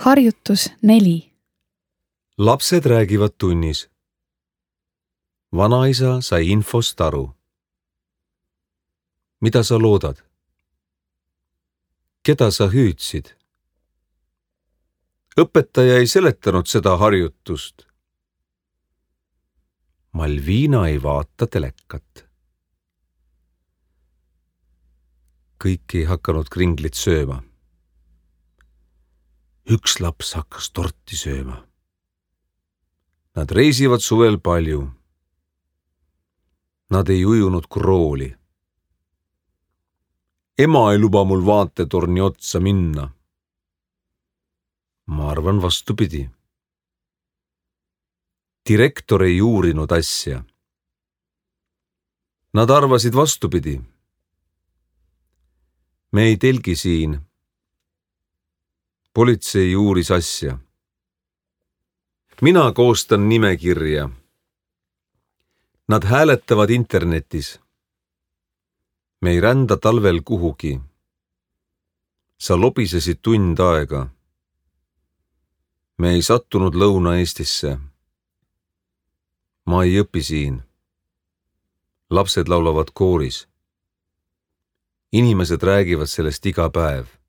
Harjutus 4. Lapsed räägivad tunnis. Vanaisa sai infost aru. Mida sa loodad? Keda sa hüüdsid? Õpetaja ei seletanud seda harjutust. Malviina ei vaata telekat. Kõik ei hakanud kringlit sööma. Üks laps hakkas torti sööma. Nad reisivad suvel palju. Nad ei ujunud krooli. Ema ei luba mul vaatetorni otsa minna. Ma arvan vastupidi. Direktor ei uurinud asja. Nad arvasid vastupidi. Me ei telgi siin. Politsei uuris asja. Mina koostan nimekirja. Nad hääletavad internetis. Me ei rända talvel kuhugi. Sa lobisesid tund aega. Me ei sattunud Lõuna-Eestisse. Ma ei õpi siin. Lapsed laulavad kooris. Inimesed räägivad sellest iga päev.